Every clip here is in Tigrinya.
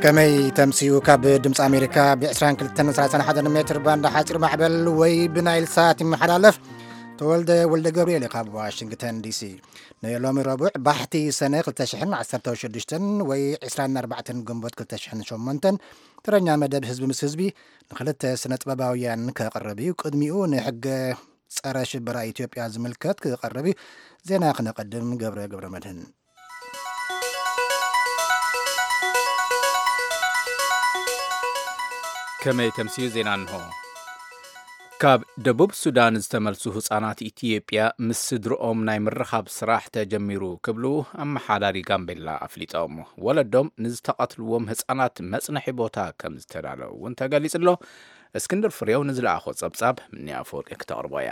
ከመይ ተምስዩ? ካብ ድምፂ ኣሜሪካ ብ22 31 ሜትር ባንድ ሓፂር ማዕበል ወይ ብናይል ሳት ይመሓላለፍ። ተወልደ ወልደ ገብርኤል ካብ ዋሽንግተን ዲሲ። ንሎሚ ረቡዕ ባሕቲ ሰነ ክልተ ሽሕን ዓሰርተ ሽዱሽተን ወይ ዕስራን ኣርባዕተን ግንቦት ክልተ ሽሕን ሸሞንተን ተረኛ መደብ ህዝቢ ምስ ህዝቢ ንክልተ ስነ ጥበባውያን ከቕርብ እዩ። ቅድሚኡ ንሕገ ጸረ ሽበራ ኢትዮጵያ ዝምልከት ክቐርብ እዩ። ዜና ክነቐድም ገብረ ገብረ መድህን። ከመይ ተምስዩ ዜና እንሆ። ካብ ደቡብ ሱዳን ዝተመልሱ ህጻናት ኢትዮጵያ ምስ ስድርኦም ናይ ምርኻብ ስራሕ ተጀሚሩ ክብሉ ኣመሓዳሪ ጋምቤላ ኣፍሊጦም። ወለዶም ንዝተቐትልዎም ህጻናት መጽነሒ ቦታ ከም ዝተዳለዉ እውን ተገሊጹ ኣሎ። እስክንድር ፍሬው ንዝለኣኾ ጸብጻብ ምንያ ኣፈወርቂ ክተቕርቦ እያ።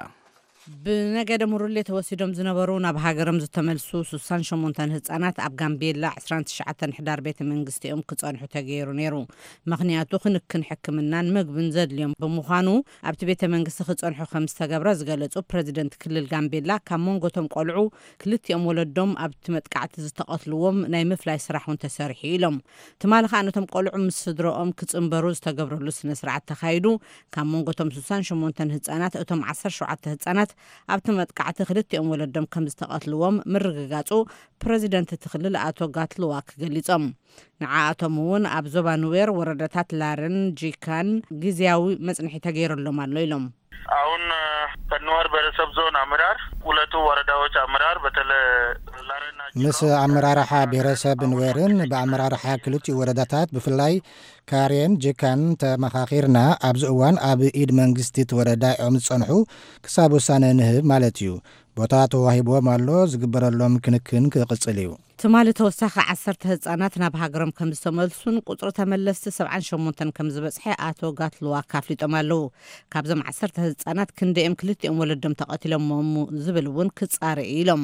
ብነገደ ሙሩሌ ተወሲዶም ዝነበሩ ናብ ሃገሮም ዝተመልሱ ሱሳን ሸሞንተን ህጻናት ኣብ ጋምቤላ ዕስራን ትሽዓተን ሕዳር ቤተ መንግስቲኦም ክጸንሑ ተገይሩ ነይሩ። ምኽንያቱ ክንክን ሕክምናን ምግብን ዘድልዮም ብምዃኑ ኣብቲ ቤተ መንግስቲ ክጸንሑ ከም ዝተገብረ ዝገለጹ ፕረዚደንት ክልል ጋምቤላ፣ ካብ መንጎቶም ቆልዑ ክልቲኦም ወለዶም ኣብቲ መጥቃዕቲ ዝተቐትልዎም ናይ ምፍላይ ስራሕ እውን ተሰሪሑ ኢሎም። ትማሊ ከኣ ነቶም ቆልዑ ምስ ስድረኦም ክጽንበሩ ዝተገብረሉ ስነ ስርዓት ተኻይዱ። ካብ መንጎቶም ሱሳን ሸሞንተን ህጻናት እቶም ዓሰርተ ሸውዓተ ህጻናት ኣብቲ መጥቃዕቲ ክልቲኦም ወለዶም ከም ዝተቐትልዎም ምርግጋጹ ፕረዚደንት እቲ ክልል ኣቶ ጋትልዋክ ገሊጾም። ንዓኣቶም እውን ኣብ ዞባ ኑዌር ወረዳታት ላርን ጂካን ግዝያዊ መጽንሒ ተገይረሎም ኣሎ ኢሎም። አሁን ከኑዋር ብሔረሰብ ዞን አመራር፣ ሁለቱ ወረዳዎች አመራር በተለ ላርና ምስ ኣመራርሓ ብሔረሰብ ኑዌርን ብኣመራርሓ ክልቲኡ ወረዳታት ብፍላይ ካሬን ጂካን ተመኻኺርና። ኣብዚ እዋን ኣብ ኢድ መንግስቲ እቲ ወረዳ እዮም ዝጸንሑ፣ ክሳብ ውሳነ ንህብ ማለት እዩ። ቦታ ተዋሂብዎም ኣሎ፣ ዝግበረሎም ክንክን ክቕጽል እዩ። ትማሊ ተወሳኺ ዓሰርተ ህጻናት ናብ ሃገሮም ከም ዝተመልሱን ቁጽሪ ተመለስቲ ሰብዓን ሸሞንተን ከም ዝበጽሐ ኣቶ ጋትልዋክ ኣፍሊጦም ኣለዉ። ካብዞም ዓሰርተ ህጻናት ክንደኦም ክልቲኦም ወለዶም ተቐቲሎሞም ዝብል እውን ክጻረ እዩ ኢሎም።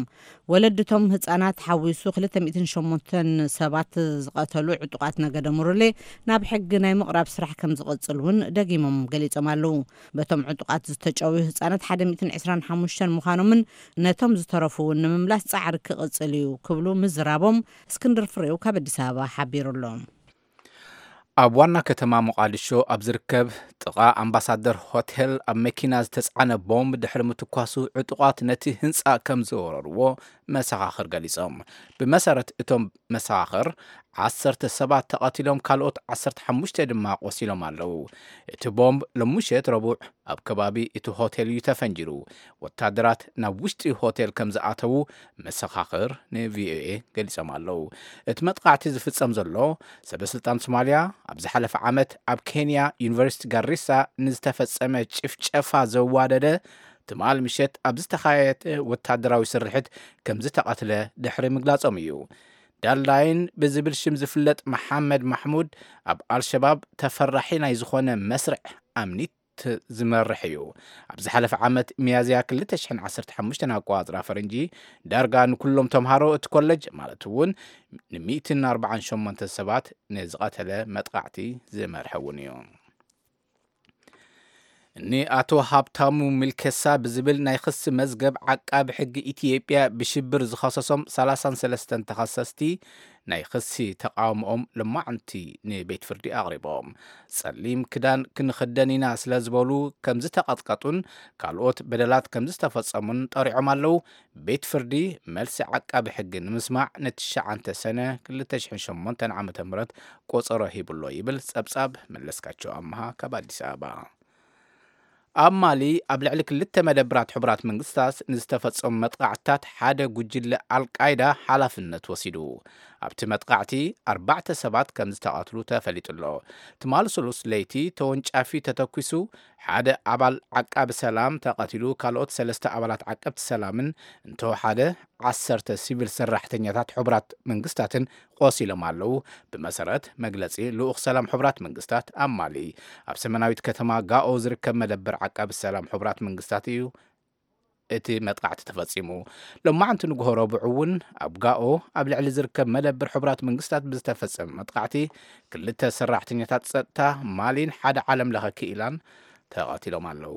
ወለድቶም ህጻናት ሓዊሱ ክልተ ሚእትን ሸሞንተን ሰባት ዝቐተሉ ዕጡቓት ነገደ ሙሩሌ ናብ ሕጊ ናይ ምቕራብ ስራሕ ከም ዝቐጽል እውን ደጊሞም ገሊጾም ኣለዉ። በቶም ዕጡቓት ዝተጨውዩ ህጻናት ሓደ ሚእትን ዕስራን ሓሙሽተን ምዃኖምን ነቶም ዝተረፉ እውን ንምምላስ ጻዕሪ ክቕጽል እዩ ክብሉ ምዝራቦም እስክንድር ፍሬው ካብ ኣዲስ ኣበባ ሓቢሩ ኣሎ። ኣብ ዋና ከተማ ሞቓዲሾ ኣብ ዝርከብ ጥቓ ኣምባሳደር ሆቴል ኣብ መኪና ዝተጻዕነ ቦምብ ድሕሪ ምትኳሱ ዕጡቓት ነቲ ህንጻ ከም ዝወረርዎ መሰኻኽር ገሊጾም። ብመሰረት እቶም መሰኻኽር ዓሰርተ ሰባት ተቐቲሎም፣ ካልኦት ዓሰርተ ሓሙሽተ ድማ ቆሲሎም ኣለዉ። እቲ ቦምብ ሎምሸት ረቡዕ ኣብ ከባቢ እቲ ሆቴል እዩ ተፈንጂሩ። ወታደራት ናብ ውሽጢ ሆቴል ከም ዝኣተዉ መሰኻኽር ንቪኦኤ ገሊጾም ኣለዉ። እቲ መጥቃዕቲ ዝፍጸም ዘሎ ሰበ ስልጣን ሶማልያ ኣብ ዝሓለፈ ዓመት ኣብ ኬንያ ዩኒቨርሲቲ ጋሪሳ ንዝተፈጸመ ጭፍጨፋ ዘዋደደ ትማል ምሸት ኣብ ዝተኻየደ ወታደራዊ ስርሒት ከም ዝተቐትለ ድሕሪ ምግላጾም እዩ። ዳልዳይን ብዝብል ሽም ዝፍለጥ መሓመድ ማሕሙድ ኣብ ኣልሸባብ ተፈራሒ ናይ ዝኾነ መስርዕ ኣምኒት ዝመርሕ እዩ። ኣብ ዝሓለፈ ዓመት ሚያዝያ ክልተ ሽሕን ዓሰርተ ሓሙሽተን ኣቆጻጽራ ፈረንጂ ዳርጋ ንኩሎም ተምሃሮ እቲ ኮለጅ ማለት እውን ን148 ሰባት ንዝቐተለ መጥቃዕቲ ዝመርሐ እውን እዩ። ንኣቶ ሃብታሙ ሚልኬሳ ብዝብል ናይ ክሲ መዝገብ ዓቃቢ ሕጊ ኢትዮጵያ ብሽብር ዝኸሰሶም ሰላሳን ሰለስተን ተኸሰስቲ ናይ ክሲ ተቃውሞኦም ሎማዕንቲ ንቤት ፍርዲ ኣቕሪቦም። ጸሊም ክዳን ክንኽደን ኢና ስለ ዝበሉ ከም ዝተቐጥቀጡን ካልኦት በደላት ከም ዝተፈጸሙን ጠሪዖም ኣለዉ። ቤት ፍርዲ መልሲ ዓቃቢ ሕጊ ንምስማዕ ንትሽዓተ ሰነ ክልተ ሽሕን ሸሞንተን ዓመተ ምህረት ቆጸሮ ሂቡሎ ይብል ጸብጻብ መለስካቸው ኣምሃ ካብ ኣዲስ ኣበባ። ኣብ ማሊ ኣብ ልዕሊ ክልተ መደብራት ሕቡራት መንግስታት ንዝተፈጸሙ መጥቃዕትታት ሓደ ጉጅለ ኣልቃይዳ ሓላፍነት ወሲዱ። ኣብቲ መጥቃዕቲ ኣርባዕተ ሰባት ከም ዝተቐትሉ ተፈሊጡ ኣሎ። ትማሊ ስሉስ ለይቲ ተወንጫፊ ተተኲሱ ሓደ ኣባል ዓቃቢ ሰላም ተቐቲሉ፣ ካልኦት ሰለስተ ኣባላት ዓቀብቲ ሰላምን እንተወሓደ ዓሰርተ ሲቪል ሰራሕተኛታት ሕቡራት መንግስታትን ቆሲሎም ኣለዉ። ብመሰረት መግለጺ ልኡኽ ሰላም ሕቡራት መንግስታት ኣብ ማሊ፣ ኣብ ሰሜናዊት ከተማ ጋኦ ዝርከብ መደበር ዓቃቢ ሰላም ሕቡራት መንግስታት እዩ እቲ መጥቃዕቲ ተፈጺሙ። ሎማዕንቲ ንግሆ ረቡዕ እውን ኣብ ጋኦ ኣብ ልዕሊ ዝርከብ መደበር ሕቡራት መንግስታት ብዝተፈጸመ መጥቃዕቲ ክልተ ሰራሕተኛታት ጸጥታ ማሊን ሓደ ዓለም ለኸ ክኢላን ተቐቲሎም ኣለዉ።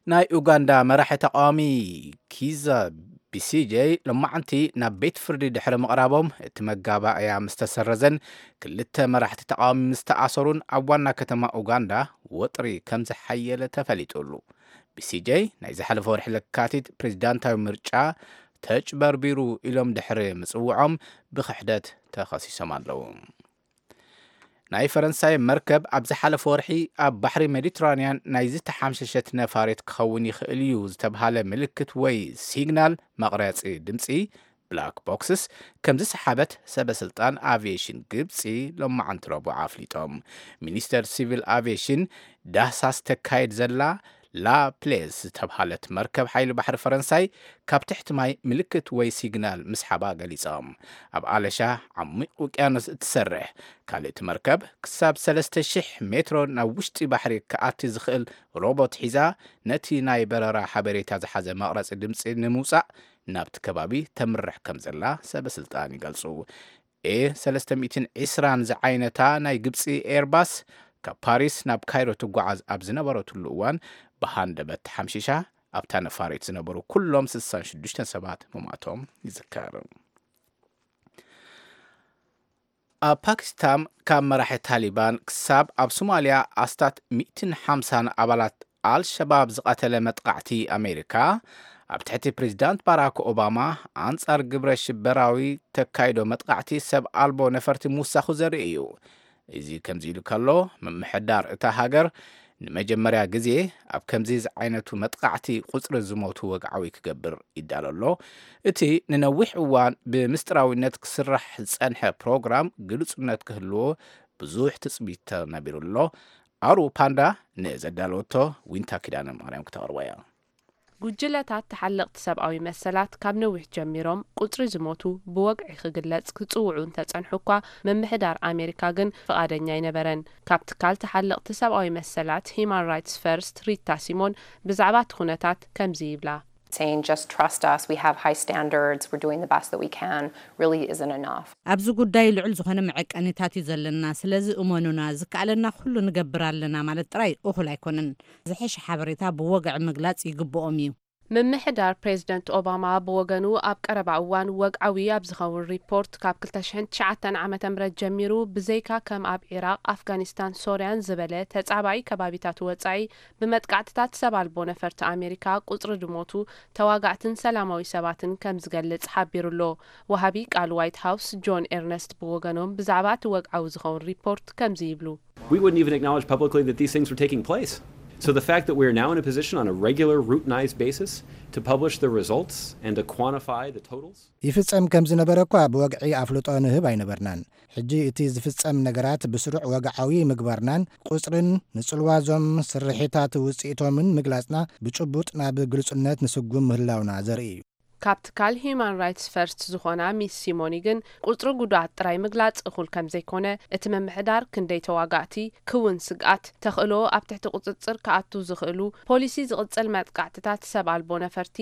ናይ ኡጋንዳ መራሒ ተቃዋሚ ኪዛ ቢ ሲ ጀይ ሎማዓንቲ ናብ ቤት ፍርዲ ድሕሪ ምቕራቦም፣ እቲ መጋባእያ ምስ ተሰረዘን ክልተ መራሕቲ ተቓዋሚ ምስ ተኣሰሩን፣ ኣብ ዋና ከተማ ኡጋንዳ ወጥሪ ከም ዝሓየለ ተፈሊጡሉ። ቢ ሲ ጀይ ናይ ዝሓለፈ ወርሒ ለካቲት ፕሬዚዳንታዊ ምርጫ ተጭበርቢሩ ኢሎም ድሕሪ ምጽውዖም ብክሕደት ተኸሲሶም ኣለዉ። ናይ ፈረንሳይ መርከብ ኣብ ዝሓለፈ ወርሒ ኣብ ባሕሪ ሜዲትራንያን ናይ ዝተሓምሸሸት ነፋሪት ክኸውን ይኽእል እዩ ዝተብሃለ ምልክት ወይ ሲግናል መቕረጺ ድምጺ፣ ብላክ ቦክስስ፣ ከም ዝሰሓበት ሰበ ስልጣን ኣቪዬሽን ግብጺ ሎማዓንቲ ረቡዕ ኣፍሊጦም። ሚኒስተር ሲቪል ኣቪዬሽን ዳህሳስ ተካይድ ዘላ ላ ፕሌዝ ዝተብሃለት መርከብ ሓይሊ ባሕሪ ፈረንሳይ ካብ ትሕቲ ማይ ምልክት ወይ ሲግናል ምስሓባ ገሊጾም። ኣብ ኣለሻ ዓሚቕ ውቅያኖስ እትሰርሕ ካልእቲ መርከብ፣ ክሳብ ሰለስተ ሽሕ ሜትሮ ናብ ውሽጢ ባሕሪ ክኣቲ ዝኽእል ሮቦት ሒዛ፣ ነቲ ናይ በረራ ሓበሬታ ዝሓዘ መቕረጺ ድምጺ ንምውጻእ ናብቲ ከባቢ ተምርሕ ከም ዘላ ሰበ ስልጣን ይገልጹ። ኤ ሰለስተ ሚእትን ዕስራን ዝዓይነታ ናይ ግብጺ ኤርባስ ካብ ፓሪስ ናብ ካይሮ ትጓዓዝ ኣብ ዝነበረትሉ እዋን፣ ብሃንደበት ተሓምሺሻ፣ ኣብታ ነፋሪት ዝነበሩ ኩሎም ስሳን ሽዱሽተን ሰባት ምሟቶም ይዝከር። ኣብ ፓኪስታን ካብ መራሒ ታሊባን ክሳብ ኣብ ሶማልያ ኣስታት ሚእትን ሓምሳን ኣባላት ኣልሸባብ ዝቐተለ መጥቃዕቲ ኣሜሪካ፣ ኣብ ትሕቲ ፕሬዚዳንት ባራክ ኦባማ፣ ኣንጻር ግብረ ሽበራዊ ተካይዶ መጥቃዕቲ ሰብ ኣልቦ ነፈርቲ ምውሳኹ ዘርኢ እዩ። እዚ ከምዚ ኢሉ ከሎ፣ ምምሕዳር እታ ሃገር ንመጀመርያ ግዜ ኣብ ከምዚ ዝዓይነቱ መጥቃዕቲ ቁጽሪ ዝሞቱ ወግዓዊ ክገብር ይዳሎ ኣሎ። እቲ ንነዊሕ እዋን ብምስጢራዊነት ክስራሕ ዝጸንሐ ፕሮግራም ግሉጽነት ክህልዎ ብዙሕ ትጽቢት ተነቢሩ ኣሎ። ኣሩ ፓንዳ ንዘዳለወቶ ዊንታ ኪዳነ ማርያም ክተቕርቦ እያ። ጉጅለታት ተሓለቕቲ ሰብኣዊ መሰላት ካብ ነዊሕ ጀሚሮም ቁጽሪ ዝሞቱ ብወግዒ ክግለጽ ክጽውዑ እንተጸንሑ እኳ፣ ምምሕዳር ኣሜሪካ ግን ፍቓደኛ ኣይነበረን። ካብ ትካል ተሓለቕቲ ሰብኣዊ መሰላት ሂማን ራይትስ ፈርስት ሪታ ሲሞን ብዛዕባ እቲ ኩነታት ከምዚ ይብላ። Saying just trust us, we have high standards, we're doing the best that we can, really isn't enough. ኣብዚ ጉዳይ ልዑል ዝኾነ መዐቀኒታት እዩ ዘለና፣ ስለዚ እመኑና፣ ዝከኣለና ኩሉ ንገብር ኣለና ማለት ጥራይ እኹል ኣይኮነን። ዝሐሸ ሓበሬታ ብወግዒ ምግላጽ ይግብኦም እዩ። ምምሕዳር ፕሬዝደንት ኦባማ ብወገኑ፣ ኣብ ቀረባ እዋን ወግዓዊ ኣብ ዝኸውን ሪፖርት፣ ካብ ክልተ ሽሕን ትሽዓተን ዓመተ ምህረት ጀሚሩ ብዘይካ ከም ኣብ ዒራቕ፣ ኣፍጋኒስታን፣ ሶርያን ዝበለ ተጻባኢ ከባቢታት ወጻኢ፣ ብመጥቃዕትታት ሰብ ኣልቦ ነፈርቲ ኣሜሪካ ቁጽሪ ዝሞቱ ተዋጋእትን ሰላማዊ ሰባትን ከም ዝገልጽ ሓቢሩ ኣሎ። ወሃቢ ቃል ዋይት ሃውስ ጆን ኤርነስት ብወገኖም፣ ብዛዕባ እቲ ወግዓዊ ዝኸውን ሪፖርት ከምዚ ይብሉ። We wouldn't even acknowledge publicly that these things were taking place. So the fact that we are now in a position on a regular, routinized basis to publish the results and to quantify the totals. ይፍጸም ከም ዝነበረ እኳ ብወግዒ ኣፍልጦ ንህብ ኣይነበርናን። ሕጂ እቲ ዝፍጸም ነገራት ብስሩዕ ወግዓዊ ምግባርናን ቁጽርን ንጽልዋ እዞም ስርሒታት ውጽኢቶምን ምግላጽና ብጭቡጥ ናብ ግልጹነት ንስጉም ምህላውና ዘርኢ እዩ። ካብ ትካል ሂዩማን ራይትስ ፈርስት ዝኾና ሚስ ሲሞኒ ግን፣ ቁጽሪ ጉዱኣት ጥራይ ምግላጽ እኹል ከም ዘይኮነ፣ እቲ ምምሕዳር ክንደይ ተዋጋእቲ ክውን ስግኣት፣ ተኽእሎ ኣብ ትሕቲ ቁጽጽር ክኣቱ ዝኽእሉ፣ ፖሊሲ ዝቕጽል መጥቃዕትታት ሰብ ኣልቦ ነፈርቲ፣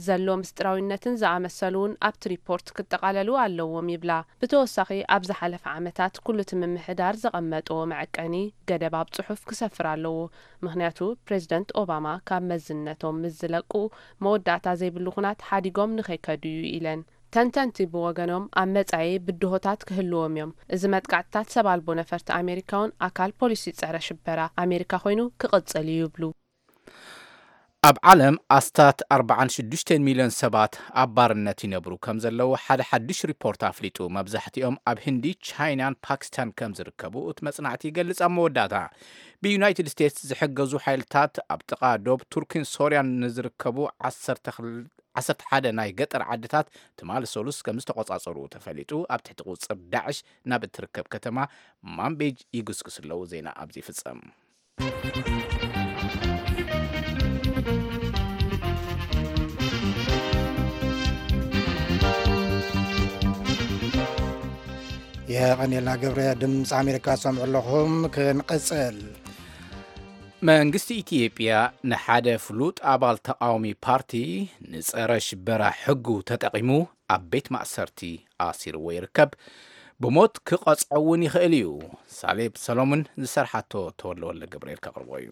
ዘሎ ምስጢራዊነትን ዝኣመሰሉ እውን ኣብቲ ሪፖርት ክጠቓለሉ ኣለዎም ይብላ። ብተወሳኺ፣ ኣብ ዝሓለፈ ዓመታት ኩሉ እቲ ምምሕዳር ዘቐመጥዎ መዐቀኒ ገደብ ኣብ ጽሑፍ ክሰፍር ኣለዎ። ምኽንያቱ፣ ፕሬዝደንት ኦባማ ካብ መዝነቶም ምስ ዝለቅኡ፣ መወዳእታ ዘይብሉ ኹናት ሓዲጎም ንኸይከዱ እዩ ኢለን። ተንተንቲ ብወገኖም፣ ኣብ መጻኢ ብድሆታት ክህልዎም እዮም። እዚ መጥቃዕትታት ሰብ ኣልቦ ነፈርቲ ኣሜሪካ እውን ኣካል ፖሊሲ ጸረ ሽበራ ኣሜሪካ ኮይኑ ክቕጽል እዩ ይብሉ። ኣብ ዓለም ኣስታት ኣርባዓን ሽዱሽተን ሚልዮን ሰባት ኣብ ባርነት ይነብሩ ከም ዘለዉ ሓደ ሓድሽ ሪፖርት ኣፍሊጡ። መብዛሕትኦም ኣብ ህንዲ፣ ቻይናን ፓኪስታን ከም ዝርከቡ እቲ መጽናዕቲ ይገልጽ። ኣብ መወዳእታ፣ ብዩናይትድ ስቴትስ ዝሕገዙ ሓይልታት ኣብ ጥቓ ዶብ ቱርኪን ሶርያን ንዝርከቡ ዓሰርተ ሓደ ናይ ገጠር ዓድታት ትማሊ ሰሉስ ከም ዝተቖጻጸሩ ተፈሊጡ። ኣብ ትሕቲ ቁጽር ዳዕሽ ናብ እትርከብ ከተማ ማንቤጅ ይግስግሱ ኣለዉ። ዜና ኣብዚ ይፍጸም። የቐኔልና ገብረ። ድምፂ ኣሜሪካ ትሰምዑ ኣለኹም። ክንቕፅል። መንግስቲ ኢትዮጵያ ንሓደ ፍሉጥ ኣባል ተቓዋሚ ፓርቲ ንጸረ ሽበራ ሕጉ ተጠቒሙ ኣብ ቤት ማእሰርቲ ኣሲርዎ ይርከብ። ብሞት ክቐጽዖ እውን ይኽእል እዩ። ሳሌብ ሰሎሞን ዝሰርሓቶ ተወለወለ ገብርኤል ከቕርቦ እዩ።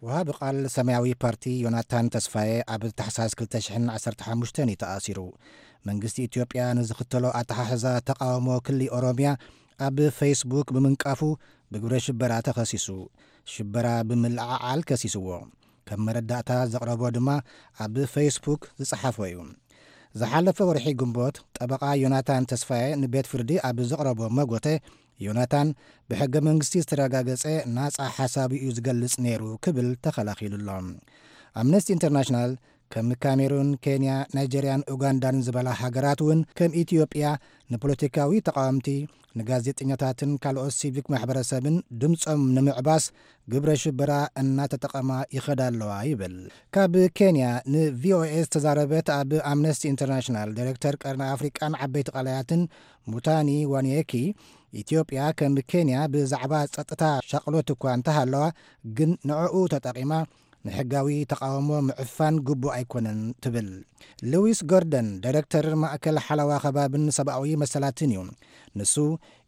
ወሃቢ ቃል ሰማያዊ ፓርቲ ዮናታን ተስፋዬ ኣብ ታሕሳስ ክልተ ሽሕን ዓሰርተ ሓሙሽተን እዩ ተኣሲሩ። መንግስቲ ኢትዮጵያ ንዝኽተሎ ኣተሓሕዛ ተቃውሞ ክሊ ኦሮሚያ ኣብ ፌስቡክ ብምንቃፉ ብግብረ ሽበራ ተኸሲሱ። ሽበራ ብምልዕዓል ከሲስዎ። ከም መረዳእታ ዘቕረቦ ድማ ኣብ ፌስቡክ ዝጸሓፎ እዩ። ዝሓለፈ ወርሒ ግንቦት ጠበቓ ዮናታን ተስፋዬ ንቤት ፍርዲ ኣብ ዘቕረቦ መጎተ፣ ዮናታን ብሕገ መንግስቲ ዝተረጋገጸ ናጻ ሓሳብ እዩ ዝገልጽ ነይሩ ክብል ተኸላኺሉ ኣሎ። ኣምነስቲ ኢንተርናሽናል ከም ካሜሩን፣ ኬንያ፣ ናይጀርያን ኡጋንዳን ዝበላ ሃገራት እውን ከም ኢትዮጵያ ንፖለቲካዊ ተቃወምቲ፣ ንጋዜጠኛታትን ካልኦት ሲቪክ ማሕበረሰብን ድምፆም ንምዕባስ ግብረ ሽበራ እናተጠቐማ ይኸዳ ኣለዋ ይብል። ካብ ኬንያ ንቪኦኤ ዝተዛረበት ኣብ ኣምነስቲ ኢንተርናሽናል ዳይሬክተር ቀርኒ ኣፍሪቃን ዓበይቲ ቀላያትን ሙታኒ ዋንየኪ፣ ኢትዮጵያ ከም ኬንያ ብዛዕባ ጸጥታ ሻቕሎት እኳ እንተሃለዋ፣ ግን ንዕኡ ተጠቒማ ንሕጋዊ ተቃውሞ ምዕፋን ግቡእ ኣይኮነን ትብል። ሉዊስ ጎርደን ዳይሬክተር ማእከል ሓለዋ ከባብን ሰብኣዊ መሰላትን እዩ። ንሱ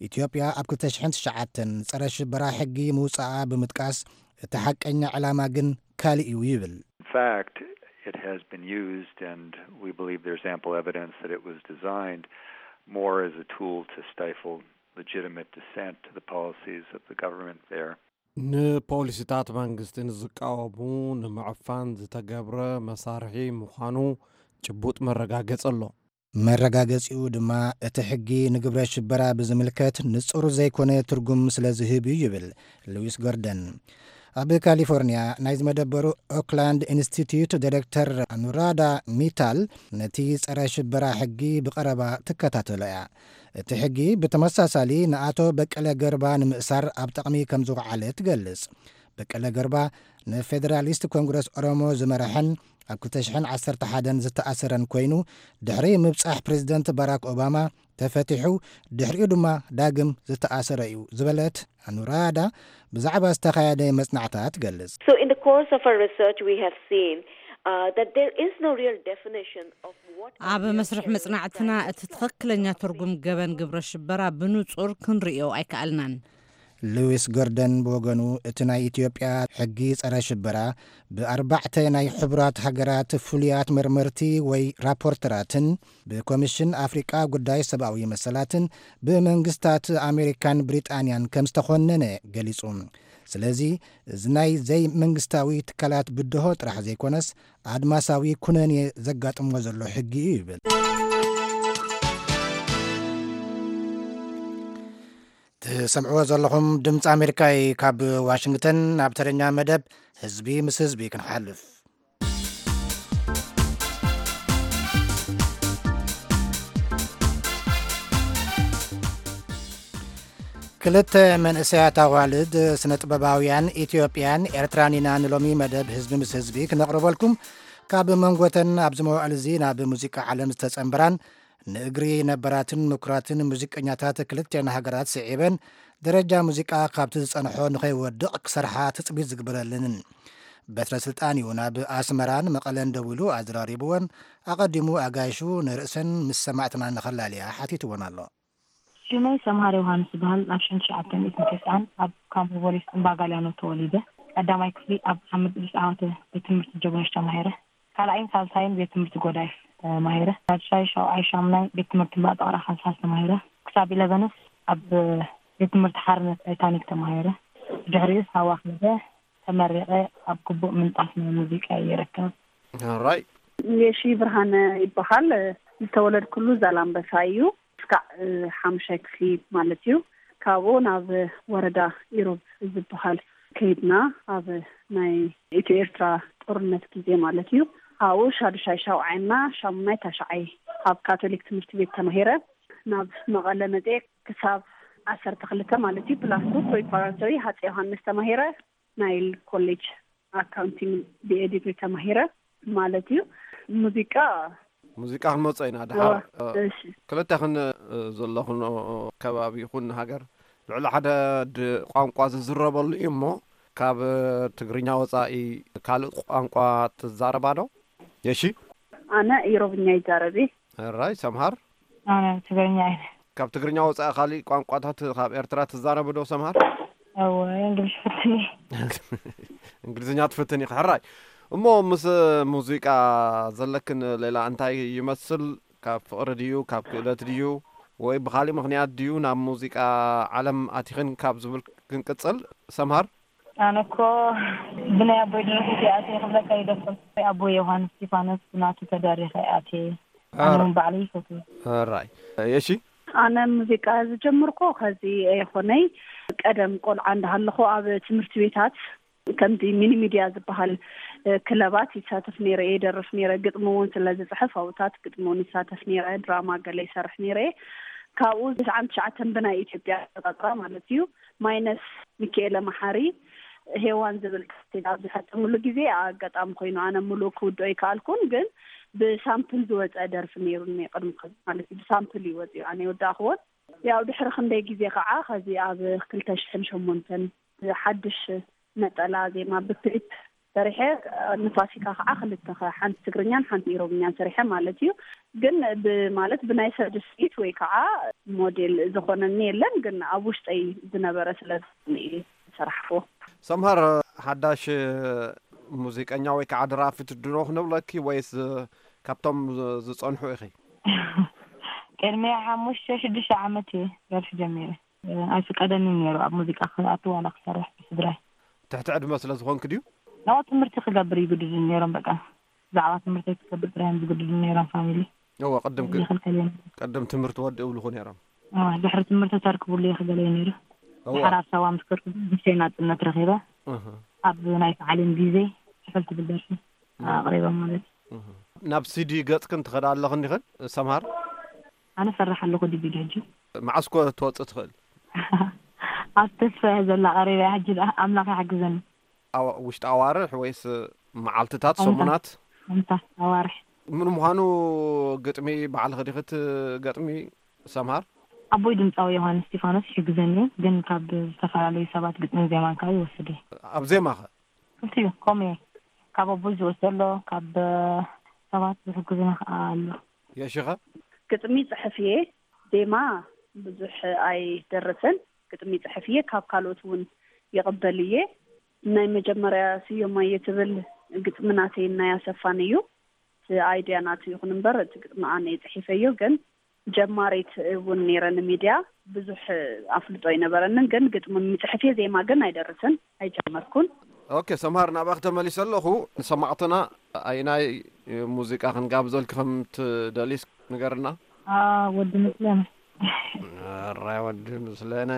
ኢትዮጵያ ኣብ ክልተ ሽሕን ትሽዓተን ጸረ ሽበራ ሕጊ ምውጻኣ ብምጥቃስ፣ እቲ ሓቀኛ ዕላማ ግን ካልእ እዩ ይብል። In fact, it has been used, and we believe there's ample evidence that it was designed more as a tool to stifle legitimate dissent to the policies of the government there. ንፖሊሲታት መንግስቲ ንዝቃወሙ ንምዕፋን ዝተገብረ መሳርሒ ምዃኑ ጭቡጥ መረጋገጺ ኣሎ። መረጋገጺኡ ድማ እቲ ሕጊ ንግብረ ሽበራ ብዝምልከት ንጹር ዘይኮነ ትርጉም ስለ ዝህብ እዩ ይብል ሉዊስ ጎርደን። ኣብ ካሊፎርኒያ ናይ ዝመደበሩ ኦክላንድ ኢንስቲትዩት ዳይሬክተር ኣኑራዳ ሚታል ነቲ ጸረ ሽበራ ሕጊ ብቐረባ ትከታተሎ እያ። እቲ ሕጊ ብተመሳሳሊ ንኣቶ በቀለ ገርባ ንምእሳር ኣብ ጥቕሚ ከም ዝወዓለ ትገልጽ። በቀለ ገርባ ንፌደራሊስት ኮንግረስ ኦሮሞ ዝመረሐን ኣብ ክልተ ሽሕን ዓሰርተ ሓደን ዝተኣሰረን ኮይኑ፣ ድሕሪ ምብጻሕ ፕሬዝደንት ባራክ ኦባማ ተፈቲሑ፣ ድሕሪኡ ድማ ዳግም ዝተኣሰረ እዩ ዝበለት ኣኑራዳ፣ ብዛዕባ ዝተኻየደ መጽናዕታ ትገልጽ። So in the course of our research, we have seen uh, that there is no real definition of what a ኣብ real መስርሕ terrorist መጽናዕትና crime እቲ ትኽክለኛ ትርጉም ገበን ግብረ ሽበራ ብንጹር ክንርእዮ ኣይከኣልናን። ሉዊስ ጎርደን ብወገኑ፣ እቲ ናይ ኢትዮጵያ ሕጊ ጸረ ሽበራ ብኣርባዕተ ናይ ሕቡራት ሃገራት ፍሉያት መርመርቲ ወይ ራፖርተራትን ብኮሚሽን ኣፍሪቃ ጉዳይ ሰብኣዊ መሰላትን ብመንግስታት ኣሜሪካን ብሪጣንያን ከም ዝተኾነነ ገሊጹ። ስለዚ እዚ ናይ ዘይመንግስታዊ ትካላት ብድሆ ጥራሕ ዘይኮነስ ኣድማሳዊ ኩነኔ ዘጋጥሞ ዘሎ ሕጊ እዩ ይብል። ትሰምዕዎ ዘለኹም ድምፂ ኣሜሪካ እዩ። ካብ ዋሽንግተን ኣብ ተረኛ መደብ ህዝቢ ምስ ህዝቢ ክንሓልፍ። ክልተ መንእሰያት ኣዋልድ ስነ ጥበባውያን ኢትዮጵያን ኤርትራን ኢና ንሎሚ መደብ ህዝቢ ምስ ህዝቢ ክነቕርበልኩም። ካብ መንጎተን ኣብዚ መዋዕል እዚ ናብ ሙዚቃ ዓለም ዝተጸንበራን ንእግሪ ነበራትን ምኩራትን ሙዚቀኛታት ክልቲኣን ሃገራት ስዒበን ደረጃ ሙዚቃ ካብቲ ዝጸንሖ ንኸይወድቕ ክሰርሓ ትጽቢት ዝግበረለንን። በትረ ስልጣን እዩ ናብ ኣስመራን መቐለን ደዊሉ ኣዘራሪብወን። ኣቐዲሙ ኣጋይሹ ንርእሰን ምስ ሰማዕትና ንኸላልያ ሓቲትወን ኣሎ። ሽመይ ሰምሃር ዮሃንስ ይበሃል። ኣብ ሽሕን ትሽዓተ ሚእትን ተስዓን ኣብ ካምቦ ፖሊስ እምባ ጋልያኖ ተወሊደ። ቀዳማይ ክፍሊ ኣብ ሓምድ ኢድሪስ ዓዋተ ቤት ትምህርቲ ጀግኖች ተማሂረ። ካልኣይን ሳልሳይን ቤት ትምህርቲ ጎዳይፍ ተማሂረ። ሳልሳይ፣ ሻውዓይ፣ ሻምናይ ቤት ትምህርቲ እምባ ጠቕራ ሓንሳስ ተማሂረ። ክሳብ ኢለቨንስ ኣብ ቤት ትምህርቲ ሓርነት ታይታኒክ ተማሂረ። ብድሕሪኡስ ሃዋ ከይደ ተመሪቐ ኣብ ግቡእ ምንጣፍ ናይ ሙዚቃ ይርከብ። ራይ የሺ ብርሃነ ይበሃል። ዝተወለድኩሉ ዛላምበሳ እዩ። እስካዕ ሓሙሻይ ክፍሊ ማለት እዩ። ካብኡ ናብ ወረዳ ኢሮብ ዝበሃል ከይድና ኣብ ናይ ኢትዮ ኤርትራ ጦርነት ግዜ ማለት እዩ። ኣብኡ ሻዱሻይ ሻውዓይና ሻሙናይ ታሽዓይ ኣብ ካቶሊክ ትምህርቲ ቤት ተማሂረ ናብ መቐለ መፅየ ክሳብ ዓሰርተ ክልተ ማለት እዩ። ፕላስ ቱ ፕሪፓራቶሪ ሃፀ ዮሃንስ ተማሂረ ናይል ኮሌጅ ኣካውንቲንግ ብኤ ዲግሪ ተማሂረ ማለት እዩ። ሙዚቃ ሙዚቃ ክንመጾ ኢና ድሓር። እሺ ክልተ ክን ዘለኹን ከባቢ ይኹን ሃገር ልዕሊ ሓደ ድ ቋንቋ ዝዝረበሉ እዩ እሞ ካብ ትግርኛ ወጻኢ ካልእ ቋንቋ ትዛረባ ዶ? የሺ ኣነ ኢሮብኛ ይዛረብ እየ። ራይ ሰምሃር ኣነ ትግርኛ እየ። ካብ ትግርኛ ወጻኢ ካሊእ ቋንቋታት ካብ ኤርትራ ትዛረቡ ዶ ሰምሃር? እወ፣ እንግሊሽ ፍትን እየ። እንግሊዝኛ ትፍትን ኢኺ። ሕራይ። እሞ ምስ ሙዚቃ ዘለክን ሌላ እንታይ ይመስል? ካብ ፍቕሪ ድዩ፣ ካብ ክእለት ድዩ፣ ወይ ብኻሊእ ምኽንያት ድዩ ናብ ሙዚቃ ዓለም ኣቲኽን ካብ ዝብል ክንቅጽል፣ ሰምሃር? ኣነ እኮ ብናይ ኣቦይ ደረፍቲ ኣትየ ክብለካ ይደፍር። ኣቦይ ዮሃንስ እስጢፋኖስ ብናቱ ተደሪኸ ኣትየ። ኣነ እውን ባዕለይ ይፈትዎ። ሕራይ። የሺ? ኣነ ሙዚቃ ዝጀመርኩ ከዚ ኣይኮነይ። ቀደም ቆልዓ እንዳሃለኹ ኣብ ትምህርቲ ቤታት ከምዚ ሚኒ ሚድያ ዝበሃል፣ እ፣ ክለባት ይሳተፍ ነይረ፣ ይደርፍ ነይረ። ግጥሚ እውን ስለ ዝጽሕፍ ኣብታት ግጥሚ እውን ይሳተፍ ነይረ፣ ድራማ ገለ ይሰርሕ ነይረ። ካብኡ ተስዓን ትሽዓተን ብናይ ኢትዮጵያ ኣቆጻጽራ ማለት እዩ፣ ማይነስ ሚካኤለ መሓሪ ሄዋን ዝብል ካሴት ኣብ ዝፈጸምሉ ግዜ ኣጋጣሚ ኮይኑ ኣነ ሙሉእ ክውድኦ ኣይከኣልኩን፣ ግን ብሳምፕል ዝወጸ ደርፊ ነይሩኒ ቅድሚ ከዚ ማለት እዩ። ብሳምፕል እዩ ወጺኡ፣ ኣነ የወዳእኽዎን። ያው ድሕሪ ክንደይ ግዜ ከዓ ከዚ ኣብ ክልተ ሽሕን ሸሞንተን ሓድሽ ነጠላ ዜማ ብክሊፕ ሰሪሐ፣ ንፋሲካ ከዓ ክልተ ከ-፣ ሓንቲ ትግርኛን ሓንቲ ኢሮብኛን ሰሪሐ ማለት እዩ። ግን ብ-፣ ማለት ብናይ ሰብ ስኢት ወይ ከዓ ሞዴል ዝኾነኒ የለን፣ ግን ኣብ ውሽጠይ ዝነበረ ስለ ዝኾነ እየ ዝሰራሕክዎ። ሰምሃር፣ ሓዳሽ ሙዚቀኛ ወይ ከዓ ደራፊት ድኖ ክንብለኪ ወይስ ካብቶም ዝ-፣ ዝጸንሑ ኢኺ? ቅድሚ ሓሙሽተ ሽዱሽተ ዓመት እየ ደርፊ ጀሚረ። ኣይፍቀደንን ነይሩ ኣብ ሙዚቃ ክኣቱ ዋላ ክሰርሕ ብስድራይ። ትሕቲ ዕድመ ስለ ዝኾንክ ድዩ? ናብኡ ትምህርቲ ክገብር ይግድዱን ነይሮም። በቃ ብዛዕባ ትምህርተይ ክገብር ጥራይ እዮም ዝግድዱን ነይሮም ፋሚሊ። እወ፣ ቅድም ክ-፣ ይኽልከል እዮም። ቅድም ትምህርቲ ወዲ እብልኹ ነይሮም። እወ፣ ድሕሪ ትምህርቲ ተርክቡሉ እየ ክገለ እዩ ነይሩ። እወ። ድሕር ኣብ ሳዋ ምስ ከርኩ ንእሽተይ ናጽነት ረኺበ። እህ። ኣብ ናይ ሰዓልን ግዜ ሕፍል ትብል ደርፊ እህ። ኣቕሪበ ማለት እዩ። እህ። ናብ ሲዲ ገጽክን ትኸዳ ኣለኽን ዲኽን ሰምሃር? ኣነ ፈራሕ ኣለኹ ዲቪዲ ሕጂ። መዓስ ኮ ትወጽእ ትኽእል? ኣብ ተስፋ እየ ዘላ፣ ቀሪበ እያ ሕጂ ደኣ፣ ኣምላኽ ይሓግዘኒ። ኣዋ-፣ ውሽጢ ኣዋርሕ ወይስ መዓልትታት፣ ኣንታ። ሰሙናት? ኣንታ፣ ኣዋርሕ። ምን ምዃኑ ግጥሚ ባዕልኺ ዲኺ ትገጥሚ ሰምሃር? ኣቦይ ድምጻዊ ዮሃንስ እስጢፋኖስ ይሕግዘኒ እዩ፣ ግን ካብ ዝተፈላለዩ ሰባት ግጥምን ዜማን ከዓ ይወስድ እየ። ኣብ ዜማ ኸ? ክልቲኡ ከምኡ እየ። ካብ ኣቦይ ዝወስዶ ኣሎ፣ ካብ ሰባት ዝሕግዙና ከዓ ኣሎ። የሺ ኸ? ግጥሚ ጽሕፍ እየ፣ ዜማ ብዙሕ ኣይደርስን። ግጥሚ ጽሕፍ እየ፣ ካብ ካልኦት እውን ይቕበል እየ። ናይ መጀመርያ ስዮማየ ትብል ግጥሚ ናተይን ናይ ኣሰፋን እዩ። እቲ ኣይድያ ናቱ ይኹን እምበር፣ እቲ ግጥሚ ኣነ እየ ጽሒፈዮ፣ ግን ጀማሪት እውን ነይረ። ንሚድያ ብዙሕ ኣፍልጦ ኣይነበረንን፣ ግን ግጥሚ ምጽሕፍ እየ፣ ዜማ ግን ኣይደርስን፣ ኣይጀመርኩን። ኦኬ፣ ሰምሃር፣ ናብኣኺ ተመሊሰ ኣለኹ። ንሰማዕትና ኣይናይ ሙዚቃ ክንጋብዘልኪ ከም ትደልይስ ንገርና። አ፣ ወዲ ምስለነ። ኣራይ፣ ወዲ ምስለነ።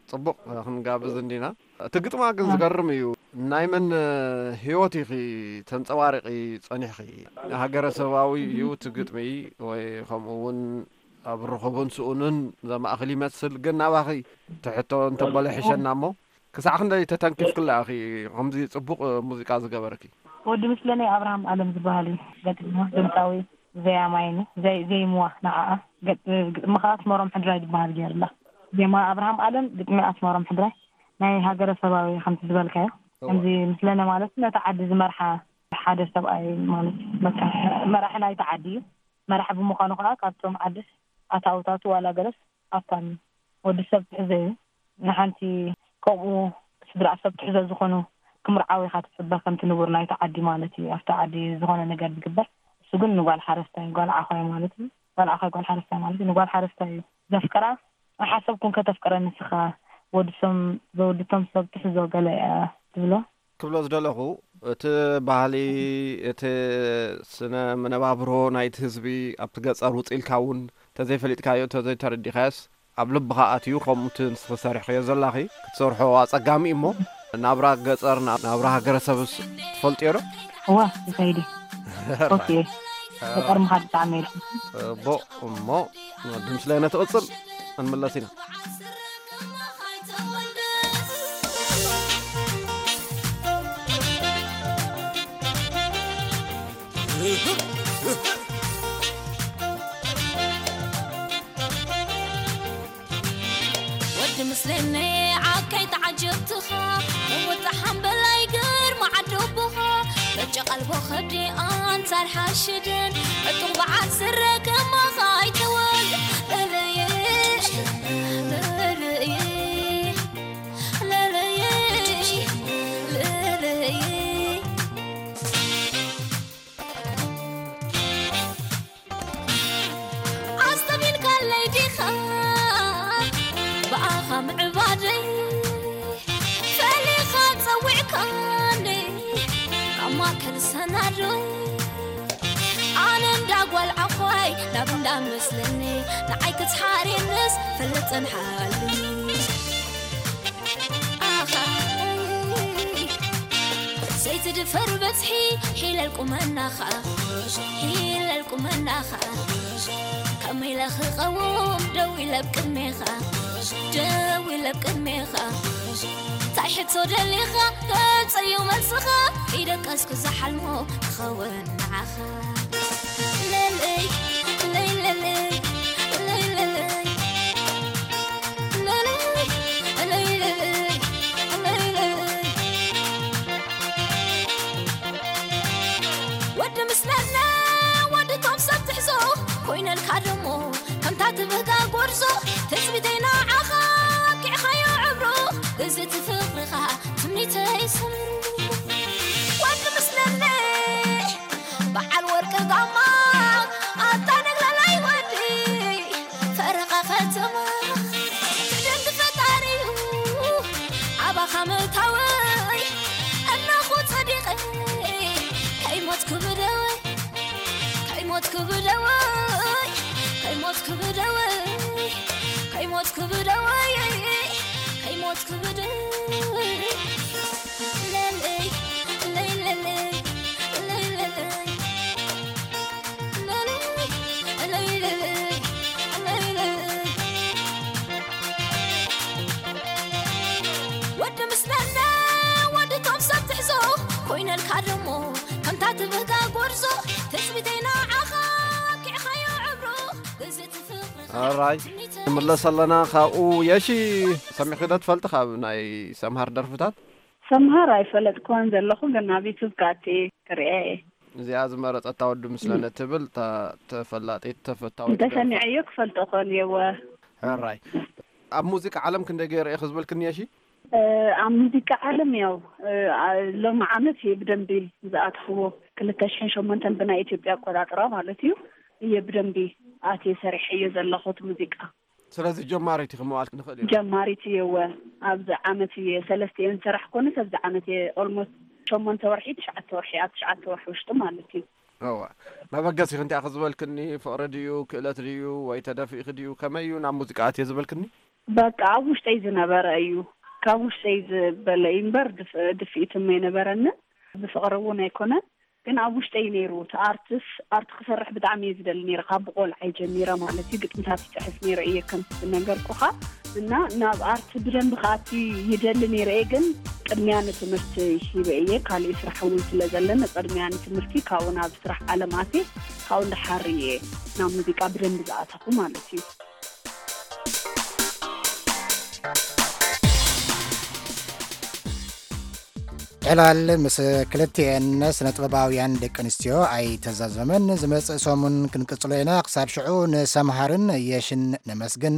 ጽቡቕ፣ ክንጋብዝ እንዲና። እቲ ግጥማ ግን አ። ዝገርም እዩ። ናይ መን ህይወት ኢኺ ተንጸባርቒ ጸኒሕኺ? ሃገረሰባዊ እዩ እቲ ግጥሚ፣ ወይ ከምኡ እውን ኣብ ርኹብን ስኡንን ዘማእኽል ይመስል፣ ግን ናባኺ ትሕቶ እንተበለ ሕሸና እሞ፣ ክሳዕ ክንደይ ተተንኪፍክላ ኢኺ ከምዚ ጽቡቕ ሙዚቃ ዝገበርኪ? ወዲ ምስለነይ ኣብርሃም ኣለም ዝበሃል እዩ። ገጢምዋ ድምፃዊ ዘያማይን ዘይ-፣ ዘይምዋ ንዓኣ። ገጥ-፣ ግጥሚ ከዓ ኣስመሮም ሕድራይ ዝበሃል ገይርላ። ዜማ ኣብርሃም ኣለም፣ ግጥሚ ኣስመሮም ሕድራይ። ናይ ሃገረሰባዊ ከምቲ ዝበልካዮ። እወ። ከምዚ ምስለነ ማለት ነቲ ዓዲ ዝመርሓ ሓደ ሰብኣይ ማለት በቃ መራሒ ናይቲ ዓዲ እዩ። መራሒ ብምዃኑ ከዓ ካብቶም ዓድስ ኣታውታቱ ዋላ ገለስ ኣብታን ወዲ ሰብ ትሕዘ እዩ። ንሓንቲ ከምኡ ስድራ ሰብ ትሕዘ ዝኾኑ ክምርዓው ኢኻ ትጽበ፣ ከምቲ ንቡር ናይቲ ዓዲ ማለት እዩ። ኣብቲ ዓዲ ዝኾነ ነገር ዝግበር፣ እሱ ግን ንጓል ሓረስታይ፣ ጓል ዓዃይ ማለት እዩ። ጓል ዓዃይ፣ ጓል ሓረስታይ ማለት እዩ። ንጓል ሓረስታይ እዩ ዘፍቅራ። ኣይሓሰብኩን ከተፍቅረ ንስኻ፣ ወዲ ቶም-፣ ወዲ ቶም ሰብ ትሕዞ ገለ እያ ትብሎ። ክብሎ ዝደለኹ፣ እቲ ባህሊ፣ እቲ ስነ መነባብሮ ናይቲ ህዝቢ ኣብቲ ገጸር ውጽእ ኢልካ እውን እንተዘይፈሊጥካዮ፣ እንተዘይተረዲኻዮስ፣ ኣብ ልብኻ ኣትዩ፣ ከምኡ እቲ ንስኺ ሰሪሕክዮ ዘላኺ ክትሰርሖ ኣጸጋሚ እዩ እሞ፣ ናብራ ገጸር፣ ና-፣ ናብራ ሃገረሰብስ ትፈልጥዮ ዶ? እወ፣ ይኸይድ እዩ። ኦኬ። ገጠር ምኻድ ብጣዕሚ እየ። ጽቡቕ እሞ፣ ወዲ ምስለነ ትቕጽል፣ ክንምለስ ኢና። ወዲ ምስለነ ዓካይ ተዓጀብትኻ፣ ወጣ ሓምበላይ ግርማ ዓዲ ኣቦኻ፣ በጨ ቀልቦ ከብዲ ኣንጻር ሓሽድን፣ ዕጡቕ በዓል ስረ ከማኻ ኣይተወል። ለለየ፣ ለለየ፣ ለለ ዲኻ ብኣኻ ምዕባደይ ፈሊኻ ጸዊዕካኒ ካብ ማእከል ሰናዶይ ኣነ እንዳ ጓል ዓኾይ ናብ እንዳ መስለኒ ንዓይ ክትሓርየንስ ፈልጥን ሓልኒ ኣኻ ዘይትድፈር በጽሒ ሒለል ቁመናኻ ሒለል ቁመናኻ ከመይ ኢለ ክቐውም ደው ኢለ ኣብ ቅድሜኻ ደው ኢለ ኣብ ቅድሜኻ እንታይ ሕቶ ደሊኻ ተምፀዩ መልስኻ ይደቀስኩ ዝሓልሞ ክኸውን ንዓኻ ለለይ ለይ ለለይ ለይ ለለይ ለለይ ለለይ ለለይ ለለይ ወዲ ምስለነ ወዲ ቶም ሰብ ትሕዞ ኮይነልካ ደሞ ከምታ ትብህጋ ጎርዞ ትጽቢተይ ንዓኻ ኪዕኻዮ ዕብሮ እዚ ትፍቕርኻ ትምኒተይ ሰምሩ ወዲ ምስለነ በዓል ወርቂ ጋማ ኣታ ነግላላይ ወዲ ፈረቓ ከተማ ትደንዲ ፈጣሪዩ ኣባኻ ምእታወይ እናኹ ጸዲቐ ከይሞትኩ ብደወይ ከይሞትኩ ብደወይ ከይሞትኩ ብደወይ ከይሞትኩ ብደወይ ከይሞትኩ ብደወይ ለለይ ለይ ለለይ ለይ ለለይ ወዲ ምስለነ ወዲ ቶም ሰብ ትሕዞ ኮይነልካ ደሞ ከምታ ትብህጋ ጎርዞ ትጽቢተይ ንዓኻ ኪዕኻዮ ዕብሮ እዚ ትፍቕርኻ ኣራይ ትምኒተይ ንምለስ ኣለና። ካብኡ የሺ ሰሚዕኺ ዶ ትፈልጢ ካብ ናይ ሰምሃር ደርፍታት? ሰምሃር ኣይፈለጥክዋን ዘለኹ፣ ግን ኣብ ዩቱብ ካቲ ክሪኤ እየ። እዚኣ ዝመረጸታ ወዲ ምስለነ እም። ትብል እታ ተፈላጢት ተፈታዊት ደርፋ። እንተሰሚዐዮ ክፈልጦ ኮን እየወ። ሕራይ። ኣብ ሙዚቃ ዓለም ክንደይ ገይረ እየ ክዝበልክኒ የሺ? እ፣ ኣብ ሙዚቃ ዓለም ያው፣ እ፣ አ-፣ ሎሚ ዓመት እየ ብደንቢ ዝኣትኽዎ፣ ክልተ ሽሕን ሸሞንተን ብናይ ኢትዮጵያ ኣቆጻጽራ ማለት እዩ፣ እየ ብደንቢ ኣትየ ሰሪሐዮ ዘለኹ እቲ ሙዚቃ። ስለዚ ጀማሪት ኢኺ ምባል ንኽእል ኢና። ጀማሪት እየ እወ። ኣብዚ ዓመት እየ ሰለስተ እየ ዝሰራሕ ኮነስ ኣብዚ ዓመት እየ ኦልሞስት ሸሞንተ ወርሒ፣ ትሽዓተ ወርሒ፣ ኣብ ትሽዓተ ወርሒ ውሽጢ ማለት እዩ። እወ። መበገሲኺ እንታይ ኢኺ ዝበልክኒ? ፍቕሪ ድዩ? ክእለት ድዩ? ወይ ተደፊእኺ ድዩ? ከመይ እዩ ናብ ሙዚቃ ኣትየ ዝበልክኒ? በቃ ኣብ ውሽጠይ ዝነበረ እዩ። ካብ ውሽጠይ ዝበለ እዩ እምበር ድፍ-፣ ድፍኢት እሞ ኣይነበረንን። ብፍቕሪ እውን ኣይኮነን። ግን ኣብ ውሽጠይ ነይሩ። እቲ ኣርትስ፣ ኣርት ክሰርሕ ብጣዕሚ እየ ዝደሊ ነይረ። ካብ ብቆልዓይ ጀሚረ ማለት እዩ። ግጥምታት ይጽሕፍ ነይረ እየ ከም ዝነገርኩኻ። እና ናብ ኣርት ብደንብ ክኣቲ ይደሊ ነይረ እየ። ግን ቅድሚያ ንትምህርቲ ሂበ እየ። ካሊእ ስራሕ እውን ስለ ዘለኒ ቅድሚያ ንትምህርቲ ካብኡ ናብ ስራሕ ዓለም ኣትየ። ካብኡ እንዳሓር እየ ናብ ሙዚቃ ብደንብ ዝኣተኹ ማለት እዩ። ዕላል ምስ ክልቲኤን ስነ ጥበባውያን ደቂ ኣንስትዮ ኣይተዛዘመን። ዝመጽእ ሰሙን ክንቅጽሎ ኢና። ክሳብ ሽዑ ንሰምሃርን የሽን ነመስግን።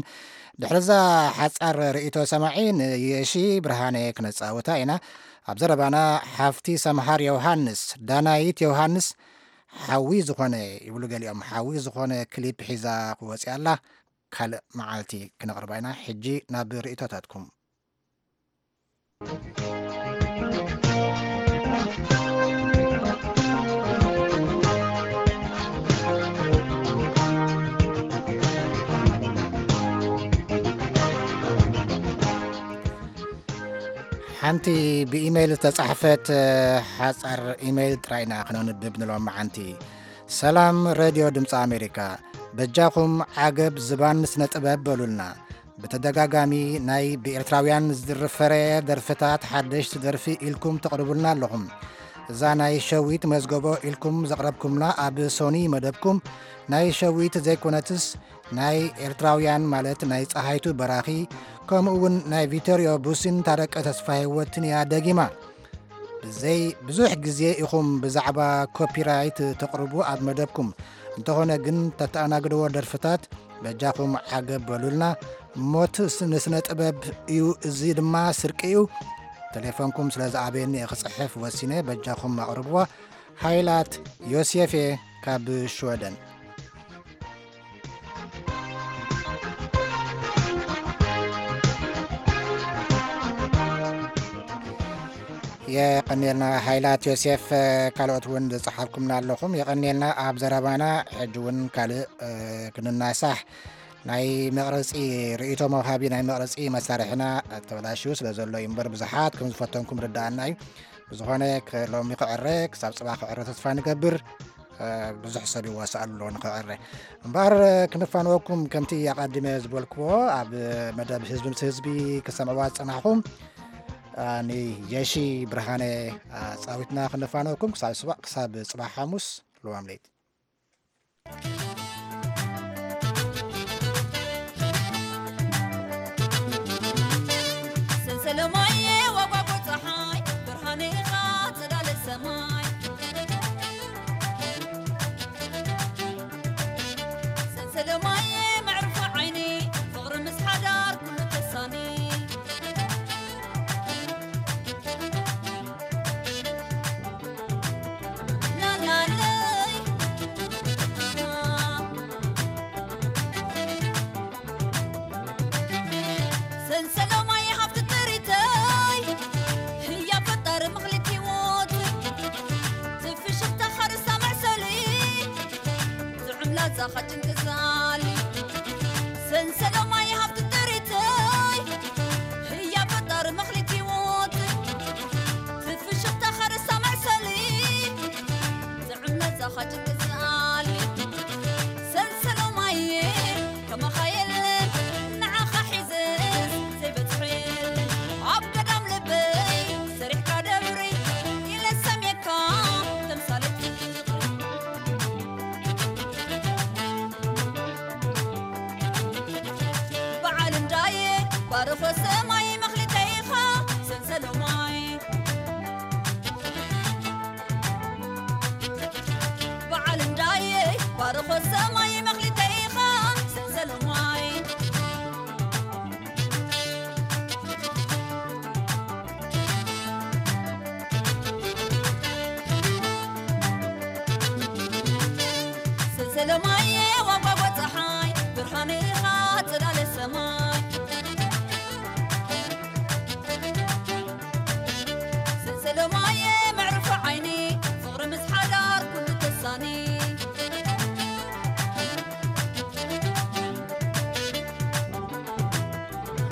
ድሕሪ እዛ ሓጻር ርእይቶ ሰማዒ ንየሺ ብርሃነ ክነጻውታ ኢና። ኣብ ዘረባና ሓፍቲ ሰምሃር ዮሃንስ፣ ዳናይት ዮሃንስ፣ ሓዊ ዝኾነ ይብሉ ገሊኦም፣ ሓዊ ዝኾነ ክሊፕ ሒዛ ክወጽእ ኣላ። ካልእ መዓልቲ ክነቕርባ ኢና። ሕጂ ናብ ርእይቶታትኩም። ሓንቲ ብኢሜይል ዝተጻሕፈት፣ እ፣ ሓጻር ኢሜይል ጥራይ ኢና ክነንብብ ንሎም መዓንቲ። ሰላም ሬድዮ ድምፂ ኣሜሪካ፣ በጃኹም ዓገብ ዝባን ስነ ጥበብ በሉልና። ብተደጋጋሚ ናይ ብኤርትራውያን ዝድርፍ ፍረ ደርፍታት ሓደሽቲ ደርፊ ኢልኩም ተቕርቡልና ኣለኹም። እዛ ናይ ሸዊት መዝገቦ ኢልኩም ዘቕረብኩምና ኣብ ሶኒ መደብኩም ናይ ሸዊት ዘይኮነትስ ናይ ኤርትራውያን ማለት ናይ ጸሃይቱ በራኺ ከምኡ እውን ናይ ቪቶርዮ ቡሲን ታረቀ ተስፋ ህይወትን እያ ደጊማ። ብዘይ ብዙሕ ግዜ ኢኹም ብዛዕባ ኮፒራይት ተቕርቡ ኣብ መደብኩም። እንተኾነ ግን ተተኣናግድዎ ደርፍታት በጃኹም ዓገብ በሉልና። ሞት ስ-፣ ንስነ ጥበብ እዩ፣ እዚ ድማ ስርቂ እዩ። ቴሌፎንኩም ስለ ዝኣበየኒ እየ ክጽሕፍ ወሲነ። በጃኹም ኣቕርብዋ። ሃይላት ዮሴፍ እየ ካብ ሽወደን። የቐንየልና። ሃይላት ዮሴፍ፣ ካልኦት እውን ዝጸሓፍኩምና ኣለኹም፣ የቐንየልና። ኣብ ዘረባና ሕጂ እውን ካልእ ክንናሳሕ፣ ናይ መቕረጺ ርእይቶ መውሃቢ ናይ መቕረጺ መሳርሕና ተበላሽዩ ስለ ዘሎ እዩ እምበር፣ ብዙሓት ከም ዝፈተንኩም ርዳኣና እዩ። ብዝኾነ፣ ሎሚ ክዕረ፣ ክሳብ ጽባሕ ክዕረ ተስፋ ንገብር። ብዙሕ ሰብ ይዋሳእ ኣሎ ንኽዕረ። እምበኣር ክንፋንወኩም፣ ከምቲ ኣቐዲመ ዝበልክዎ፣ ኣብ መደብ ህዝቢ ምስ ህዝቢ ክሰምዕዋ ዝጸናሕኹም፣ ንየሺ ብርሃነ ኣጻዊትና ክንፋንወኩም። ክሳብ ስባ-፣ ክሳብ ጽባሕ ሓሙስ፣ ልዋም ለይቲ። ሰንሰለማየ ወጓጎ ፀሓይ፣ ብርሃን ኢኻ ጽላለ ሰማይ። ሰንሰለማየ መዕርፎ ዓይኒ፣ ፍቕሪ ምስ ሓዳር ኩሉ ተሳኒ። ላላለይ። ሰንሰለማይ ሃብቲ ጥሪተይ፣ ህያ ፈጣሪ ምኽሊት ህይወት፣ ትፍሽኽታ ኻርሳ መዕሰሊ፣ ጥዑም ላዛኻ ጭንቂ ዛሊ። ሰንሰለማይ ሃብቲ ጥሪተይ፣ ህያ ፈጣሪ ምኽሊት ህይወት፣ ትፍሽኽታ ኻርሳ መዕሰሊ፣ ጥዑም ላዛኻ ጭንቂ ዛሊ። ሰንሰለማየ ከማኻ የለን ንዓኻ ሒዘስ ዘይበጽሖ የለን። ኣብ ገዳም ልበይ ሰሪሕካ ደብሪ ኢለ ሰምየካ ተምሳሌት ፍቕሪ። በዓል እንዳየ ባርኾ ሰማይ መኽሊተይኻ ሰንሰለማይ። በዓል እንዳየ ባርኾ ሰማይ መኽሊተይኻ ሰንሰለማይ። ሰንሰለማየ ዋጓጓ ፀሓይ ብርሃን ኢኻ ጽላለ ሰማይ። ሰንሰለማየ መዕርፎ ዓይኒ ፍቕሪ ምስ ሓዳር ኩሉ ተሳኒ።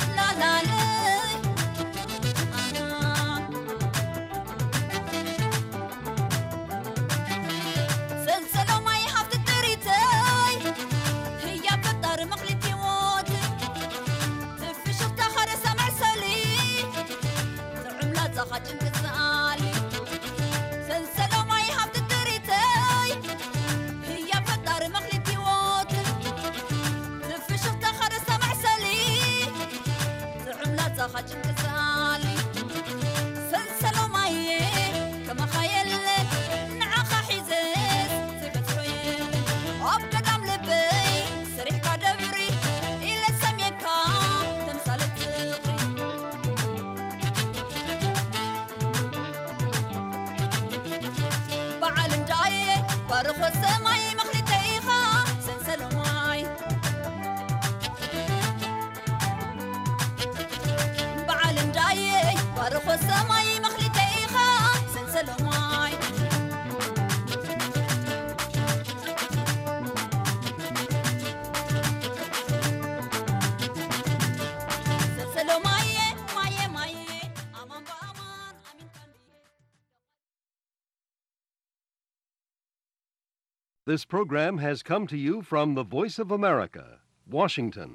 ላላለ። ሰንሰለማይ ሃብቲ ጥሪተይ ህያ ፈጣሪ መኽሊት ህይወት ትፍሽኽታ ኻረሳ መዕሰሊ ጥዑም ላዛኻ ጭንቂ ዝኣሊ ሰንሰለማይ ሃብቲ ጥሪተይ ህያ ፈጣሪ መኽሊት ህይወት ትፍሽኽታ ኻረሳ መዕሰሊ ጥዑም ላዛኻ ጭንቂ ዝኣሊ ሰንሰለማየ ከማኻ የለ ንዓኻ ሒዘስ ዘይበጽሖ የለ ኣብ ገዳም ልበይ ሰሪሕካ ደብሪ ኢለ ሰምየካ ተምሳሌት ፍቕሪ በዓል እንዳየ ባርኾ ሰማይ መኽሊተይኻ ሰንሰለማይ በዓል እንዳየ ባርኾ ሰማይ መኽሊተይኻ ሰንሰለማይ ሰንሰለማየ ማየ ማየ ኣማን ብኣማን ኣሚን ቀንዲ This program has come to you from the Voice of America, Washington.